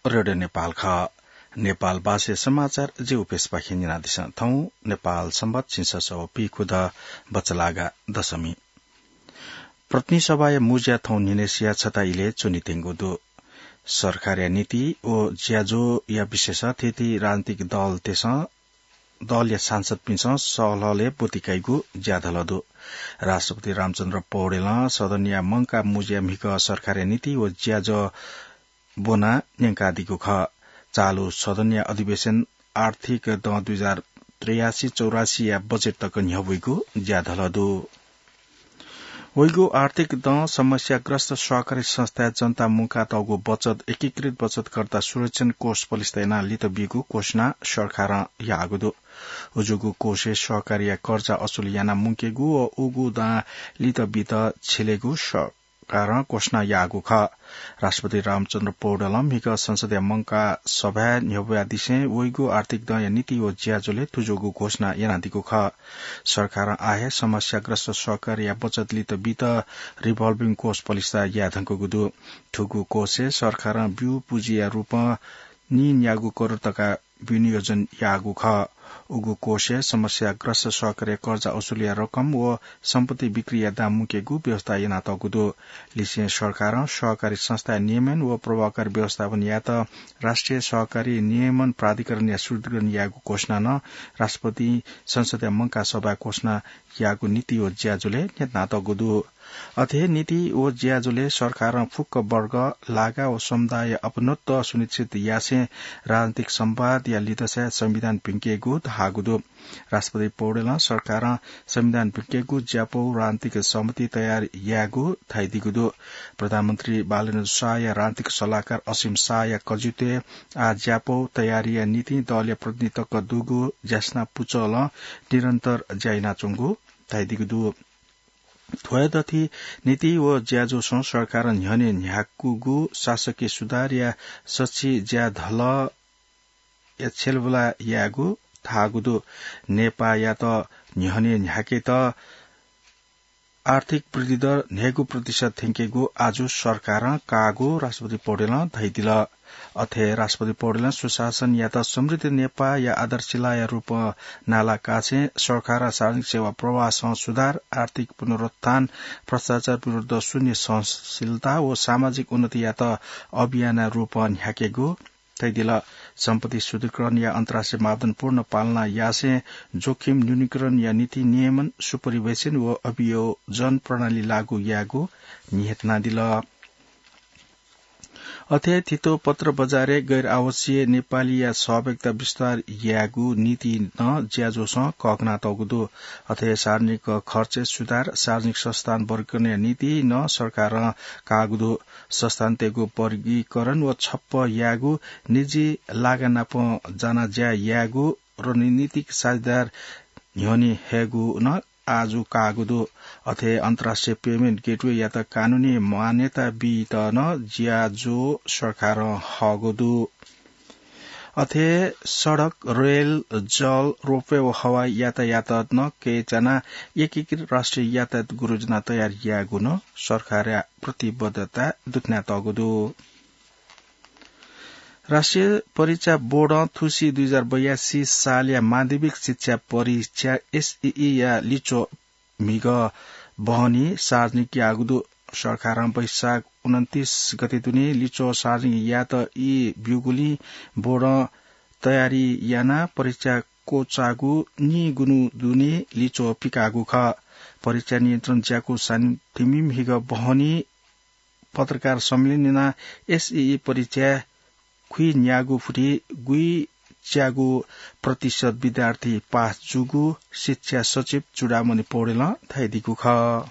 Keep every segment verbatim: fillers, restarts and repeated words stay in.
रेडियो नेपाल खः। नेपाल भाषाया समाचार जि उपेशपाखें न्यनादिसँ। थौं नेपाल संवत् झिंछसः व पीखुदँ बचलागा दशमी। प्रतिनिधि सभाया मुँज्या थौं न्हिनय्सिया छता इलय् च्वनेत्यंगु दु। सरकारया नीति व ज्याझ्वःया विषयस थीथी राजनीतिक दलतय्सं दलया सांसदपिन्सं सहलहलय् ब्वति काइगु ज्याधलः दु। राष्ट्रपति रामचन्द्र पौडेलं सदनया मंकाः मुँज्या म्हिगः सरकारया नीति व ज्याझ्वः ब्वना न्यंकादीगु खः। चालु सदनया अधिवेशन आर्थिक दँ दुई हजार त्रियासी चौरासीया बजेट तक न्ह्यब्वइगु ज्याधलः दु। वइगु आर्थिक दँ समस्याग्रस्त सहकारी संस्थाय् जनता मुंकातःगु बचत एकीकृत बचतकर्ता सुरक्षण कोष पलिस्था यानाः लित बीगु घोषणा सरकारं याःगु दु। उजुगु कोषय् सहकारीया कर्जा असुली यानाः मुंकेगु व उगु दां लित बीत छिलेगु सरकारं घोषणा याःगु खः। राष्ट्रपति रामचन्द्र पौडेलं म्हिगः संसदया मंकाः सभाय् न्ह्यब्वयादिसें वइगु आर्थिक दँया नीति व ज्याझ्वलय् थुज्वःगु घोषणा यानादीगु खः। सरकारं आः हे समस्याग्रस्त सहकारीया बचत लित बीत revolving कोष पलिस्था याये धुंकूगु दु। थुगु कोषय् सरकारं ब्यू पुँजीया रूपं नीन्यागू करोड तका विनियोजन याःगु खः। उगु कोषय् समस्याग्रस्त सहकारीया कर्जा असुलीया रकम व सम्पत्ति बिक्रीया दां मुंकेगु व्यवस्था यानातःगु दु। लिसें सरकारं सहकारी संस्थाया नियमन व प्रभावकारी व्यवस्थापन यायेत राष्ट्रिय सहकारी नियमन प्राधिकरणया सुदृढीकरण याःगु घोषणा नं राष्ट्रपतिं संसदया मंकाः सभाय् घोषणा याःगु नीति व ज्याझ्वलय् न्ह्यथनातःगु दु। अथे हे नीति व ज्याझ्वलय् सरकारं फुक्क वर्ग, लागा व समुदायया अपनत्व सुनिश्चित यासें राजनीतिक संवादया लिधंसाय् संविधान भिंकेगु धाःगु दु। राष्ट्रपति पौडेलं सरकारं संविधान भिंकेगु ज्यापौ राजनीतिक सहमति तयार यायेगु धयादीगु दु। प्रधानमन्त्री बालेन्द्र शाहया राजनीतिक सल्लाहकार असीम शाहया कजित्वय् आः ज्यापौ तयारीया निंतिं दलया प्रतिनिधि तक दुगु ज्यासना पुचलं निरन्तर ज्या यानाच्वंगु धयादीगु दु। थ्व हे दथि नीति व ज्याझ्वःसं सरकारं न्ह्यःने न्ह्याकूगु शासकीय सुधारया सछि ज्याधलःया छ्यलबुला यायेगु धाःगु दु। नेपाःयात न्ह्यःने न्ह्याकेत आर्थिक वृद्धि दर न्हय्गू प्रतिशत थ्यंकेगु आजु सरकारं काःगु राष्ट्रपति पौडेलं धयादिल। अथे राष्ट्रपति पौडेलं सुशासनयात समृद्ध नेपाःया आधारशिलाया रूपं नालाकासें सरकारं सार्वजनिक सेवा प्रवाहसं सुधार, आर्थिक पुनरुत्थान, भ्रष्टाचार विरुद्ध शून्य सहनशीलता व सामाजिक उन्नतियात अभियानया रूपं न्ह्याकेगु धयादिल। सम्पत्ति शुद्धिकरणया अन्तर्राष्ट्रिय मापदण्ड पूर्ण पालना यासें जोखिम न्यूनीकरणया निंतिं नियमन, सुपरिवेशन व अभियोजन प्रणाली लागू यायेगु न्ह्यथनादिल। अथे हे थितो पत्र बजारय् गैर आवासीय नेपालीया सहभागिता विस्तार यायेगु निंतिं नं ज्याझ्वःसं कःघानातःगु दु। अथे हे सार्वजनिक खर्चय् सुधार, सार्वजनिक संस्थान वर्गीकरणया निंतिं नं सरकारं काःगु दु। संस्थानतय्गु वर्गीकरण व छप्पँ यायेगु, निजी लागा नाप जानाः ज्या यायेगु, रणनीतिक साझेदार न्ह्यःने हयेगु नं आजु काःगु दु। अथे अन्तर्राष्ट्रिय payment gateway यात कानूनी मान्यता बीत नं ज्याझ्वः सरकारं हःगु दु। अथे सडक, रेल, जल, रोपवे व हवाई यातायात नं कय्चानाः एकीकृत राष्ट्रिय यातायात गुरुजना तयार यायेगु नं सरकारया प्रतिबद्धता दुथ्यानातःगु दु। राष्ट्रिय परीक्षा बोर्डं थुसी दुई हजार बयासी सालया माध्यमिक शिक्षा परीक्षा, एसईई या लिच्वः म्हिगः बहनी सार्वजनिक याःगु दु। सरकारं वैशाख उनन्तीस गते दुने लिच्वः सार्वजनिक यायेत ई ब्यूगुलिं बोर्डं तयारी यानाः परीक्षा क्वचाःगु नीगुन्हु दुने लिच्वः पिकाःगु खः। परीक्षा नियन्त्रण ज्याकू सानिधिमि म्हिगः बहनी पत्रकार सम्मेलन यानाः एसईई परीक्षा खुइन्यागू फुति गुइच्यागू प्रतिशत विद्यार्थी पास जूगु शिक्षा सचिव चूडामणि पौडेलं धयादीगु खः।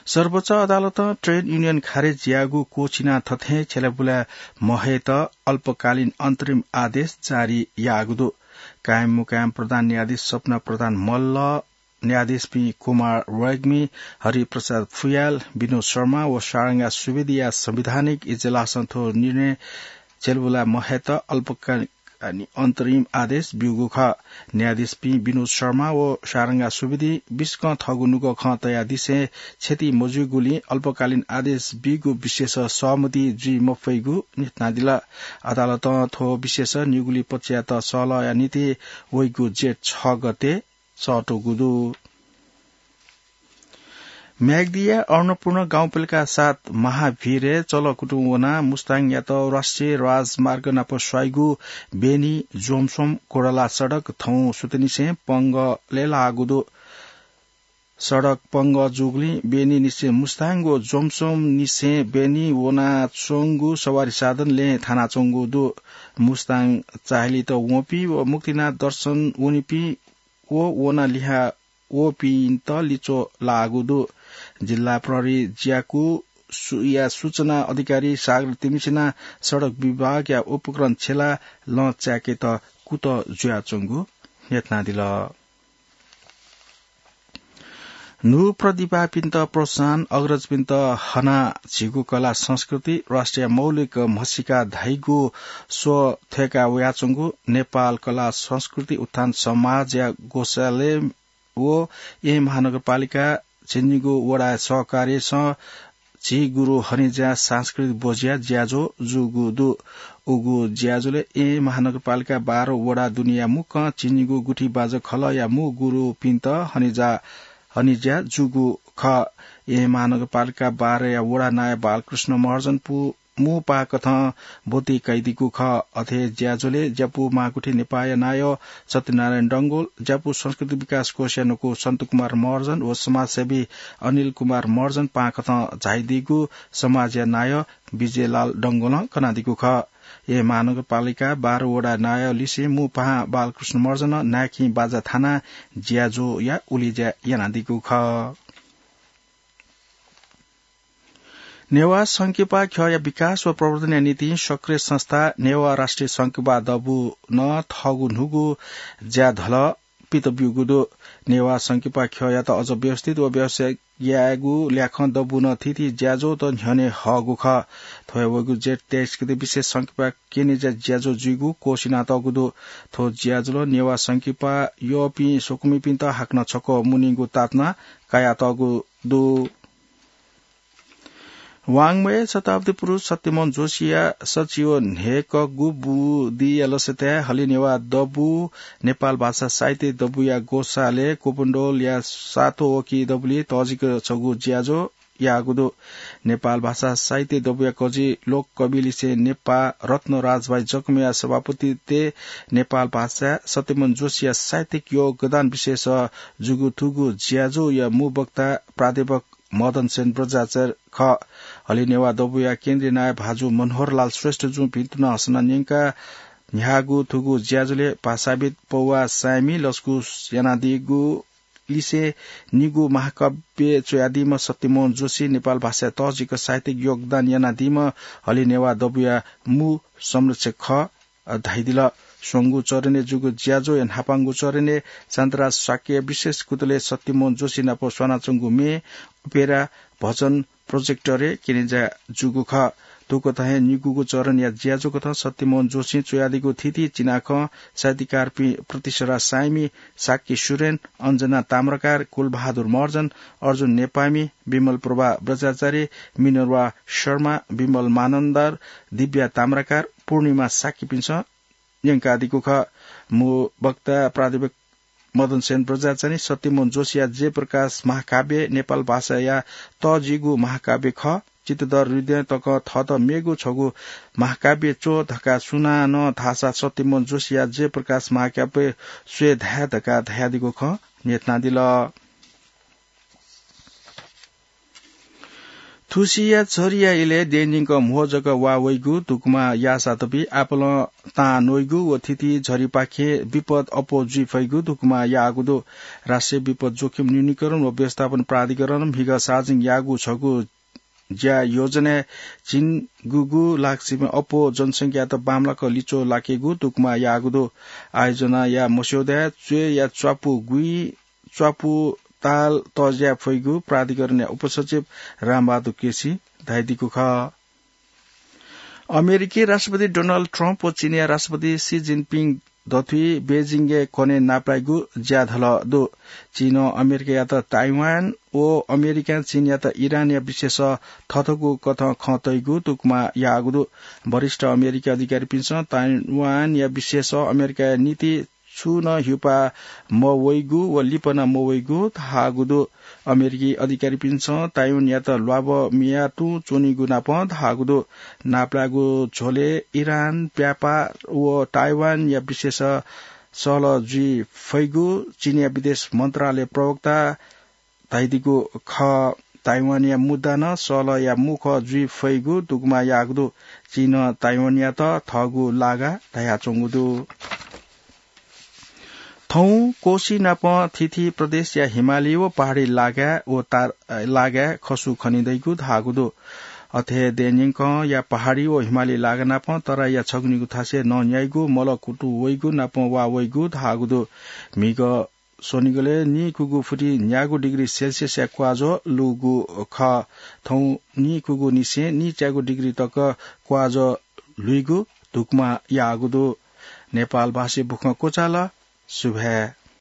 सर्वोच्च अदालतं ट्रेड युनियन खारेज याःगु क्वःछिनाः थथें छ्यलाबुला महयेत अल्पकालीन अन्तरिम आदेश जारी याःगु दु। कायम मुकायम प्रधान न्यायाधीश सपना प्रधान मल्ल, न्यायाधीशपिं कुमार रेग्मी, हरिप्रसाद फुयाल, विनोद शर्मा व शारंगा सुवेदीया संवैधानिक इजलासं थ्व निर्णय छ्यलाबुला महयेत अल्पकालीन अन्तरिम आदेश ब्यूगु खः। न्यायाधीशपिं विनोद शर्मा व शारंगा सुवेदीं बिस्कं थःगु नुगः खँ तयादिसें क्षति मजुइगुलिं अल्पकालीन आदेश बीगु विषयस सहमति जुइ मफइगु न्ह्यथनादिल। अदालतं थ्व विषयस निगुलिं पक्षयात सल्लाहया निंतिं वइगु जेठ छ गते सःतूगु दु। म्याग्दीया अन्नपूर्ण गाउँपालिका सात महाभिरय् चलकुतुं वनाः मुस्ताङयात राष्ट्रिय राजमार्ग नाप स्वाइगु बेनी जोमसोम कोडला सडक थौं सुथनिसें पंगलय् लाःगु दु। सडक पंगः जूगुलिं बेनीनिसें मुस्ताङ व जोमसोमनिसें बेनी वनाच्वंगु सवारी साधन लँय् थानाच्वंगु दु। मुस्ताङ चाःहिलेत वंपिं व मुक्तिनाथ दर्शन वनीपिं व वनाः लिहां वःपिन्त लिच्वः लाःगु दु। जिल्ला प्रहरी ज्याकू सु-, या सूचना अधिकारी सागर तिमिसिनां सडक विभागया उपकरण छ्यलाः लँ चाय्केत कुतः जुयाच्वंगु न्ह्यथनादिल। न्हू प्रतिभापिन्त प्रोत्साहन, अग्रजपिन्त हनाः झीगु कला संस्कृति राष्ट्रिय मौलिक म्हसीका धाइगु स्वः थ्यय्का वयाच्वंगु नेपाल कला संस्कृति उत्थान समाजया ग्वसालय् व येँ महानगरपालिका झिंनिगू वडाया सहकार्यसं झी गुरु हनेज्या सांस्कृतिक बोझ्या ज्याझ्वः जूगु दु। उगु ज्याझ्वलय् येँ महानगरपालिका बाह्र वडा दुनेया मुक्कं झिंनिगू गुठी बाजा खलःया मू गुरुपिन्त हनेज्या, हनेज्या जूगु खः। येँ महानगरपालिका बाह्रया वडा नायः बालकृष्ण महर्जन पु-, मू पाहां कथं ब्वति कयादीगु खः। अथे ज्याझ्वलय् ज्यापू महागुठी नेपाःया नायः सत्यनारायण डंगोल, ज्यापू संस्कृति विकास कोषया न्वकू सन्तकुमार महर्जन व समाजसेवी अनिल कुमार महर्जन पाहां कथं झायादीगु समाजया नायः विजयलाल डंगोलं कनादीगु खः। येँ महानगरपालिका बाह्र वडा नायः लिसें मू पाहां बालकृष्ण महर्जनं नाय्खिं बाजा थानाः ज्याझ्वःया उलेज्या यानादीगु खः। नेवाः संकिपा ख्यःया विकास व प्रवर्धनया निंतिं सक्रिय संस्था नेवाः राष्ट्रिय संकिपा दबूनं थःगु न्हूगु ज्याधलः पित ब्यूगु दु। नेवाः संकिपा ख्यःयात अझ व्यवस्थित व व्यावसायिक यायेगु ल्याखं दबूनं थीथी ज्याझ्वःत न्ह्यःने हःगु खः। थ्व हे वइगु जेठ तेइस गते विशेष संकिपा क्यनेज्या ज्याझ्वः जुइगु क्वःछिनातःगु दु। थ्व ज्याझ्वलं नेवाः संकिपा यःपिं स्वकुमिपिन्त हाकनं छकः मुनीगु ताःतना कयातःगु दु। वाङ्मय शताब्दी पुरुष सत्यमोहन जोशीया सच्छि व न्हय्कःगु बुदिया लसताय् हलिनेवाः दबू नेपाल भाषा साहित्य दबूया ग्वसालय् कोपुण्डोलया सातों वकी दबुलिइ तःजिक छगू ज्याझ्वः याःगु दु। नेपाल भाषा साहित्य दबूया कजि लोककविलिसें नेपाः रत्न राजभाइ जकमया सभापतित्वय् नेपाल भाषाय् सत्यमोहन जोशीया साहित्यिक योगदान विषयस जूगु थुगु ज्याझ्वःया मू वक्ता प्राध्यापक मदनसेन बज्राचार्य खः। हलिनेवाः दबूया केन्द्रीय नायः भाजु मनोहरलाल श्रेष्ठजुं भिंतुना हसना न्यंकाः न्ह्याःगु थुगु ज्याझ्वलय् भाषाविद् पौवा साय्मि लसकुस यानादीगु लिसें निगू महाकाव्य च्वयादीम्ह सत्यमोहन जोशी नेपाल भाषाय् तःजिक साहित्यिक योगदान यानादीम्ह हलिनेवाः दबूया मू संरक्षक खः धयादिल। स्वंगू चरणय् जूगु ज्याझ्वःया न्हापांगु चरणय् शान्तराज शाक्यया विशेष कुतलय् सत्यमोहन जोशी नाप स्वानाच्वंगु म्ये, ओपेरा, भजन, प्रोजेक्टरय् क्यनेज्या जूगु खः। थुकथं हे निगूगु चरणया ज्याझ्वःकथं सत्यमोहन जोशीं च्वयादीगु थीथी चिनाखँ साहित्यकारपिं प्रतिसरा साय्मि, शाक्य सुरेन, अञ्जना ताम्राकार, कुलबहादुर महर्जन, अर्जुन नेपाःमि, विमल प्रभा बज्राचार्य, मिनर्वा शर्मा, विमल मानन्धर, दिव्या ताम्राकार, पूर्णिमा शाक्यपिन्सं न्यंकादीगु खः। मू वक्ता प्राध्यापक मदनसेन बज्राचार्यं सत्यमोहन जोशीया जयप्रकाश महाकाव्य नेपाल भाषाया तःजिगु महाकाव्य खः। चित्तधर हृदयं तकं थःत मेगु छगू महाकाव्य च्वः धकाः सुनानं धाःसा सत्यमोहन जोशीया जयप्रकाश महाकाव्य स्वये धाये धकाः धयादीगु खँ न्ह्यथनादिल। थुसिया झरीया इलय् देय्‌न्यंक म्हो जक वा वइगु, धुकुमा याःसा तबि आपालं तां नइगु व थीथी झरीपाखें विपद अप्वः जुइ फइगु धुकुमा याःगु दु। राष्ट्रिय विपद जोखिम न्यूनीकरण व व्यवस्थापन प्राधिकरणं म्हिगः सार्वजनिक याःगु छगू ज्या योजनाय् झिंगुगु लाख सिबें अप्वः जनसंख्यायात बांमलाक लिच्वः लाकेगु धुकुमा याःगु दु। आयोजनाया मस्यौदाय् च्वय्‌या च्वापु गुइ च्वापु ताल तज्याये फइगु प्राधिकरणया उपसचिव रामबहादुर केसीं धयादीगु खः। अमेरिकी राष्ट्रपति डोनाल्ड ट्रम्प व चीनया राष्ट्रपति सी जिनपिङ दथुइ बेजिङय् कन्हय् नापलाइगु ज्याधल दु। चीनं अमेरिकायात ताइवान व अमेरिकां चीनयात इरानया विषयस थथःगु कथं खँ तइगु तुकमा याःगु दु। वरिष्ठ अमेरिकी अधिकारीपिन्सं ताइवानया विषयस अमेरिकाया नीति छुं नं हिउपाः मवइगु व लिपा नं मवइगु धाःगु दु। अमेरिकी अधिकारीपिन्सं ताइवानयात ल्वाभ मिया तुं च्वनीगु नापं धाःगु दु। नापलाःगु झ्वलय् इरान, व्यापार व ताइवानया विषयस सहलह जुइ फइगु चीनया विदेश मन्त्रालय प्रवक्ता धयादीगु खः। ताइवानया मुद्दा नं सहलहया मुखः जुइ फइगु दुगुमा याःगु दु। चीनं ताइवानयात थःगु लागा धयाच्वंगु दु। थौं कोशी नापं थीथी प्रदेशया हिमाली व पहाडी लागाय् व तार-, लागाय् खसु खनिदइगु धाःगु दु। अथे हे देय्‌न्यंकंया पहाडी व हिमाली लागा नापं तराईया छगुनिगु थासय् नं न्याइगु, मल कुतु वइगु नापं वा वइगु धाःगु दु। म्हिगः स्वनिगलय् नीकुगु फुति न्यागू डिग्री सेल्सियसया क्वाजः लूगु खः। थौं नीकुगु निसें नीच्यागू डिग्री तक क्वाजः लुइगु धुकुमा याःगु दु। नेपाल भाषी बुखं क्वचाल। सुभाय्।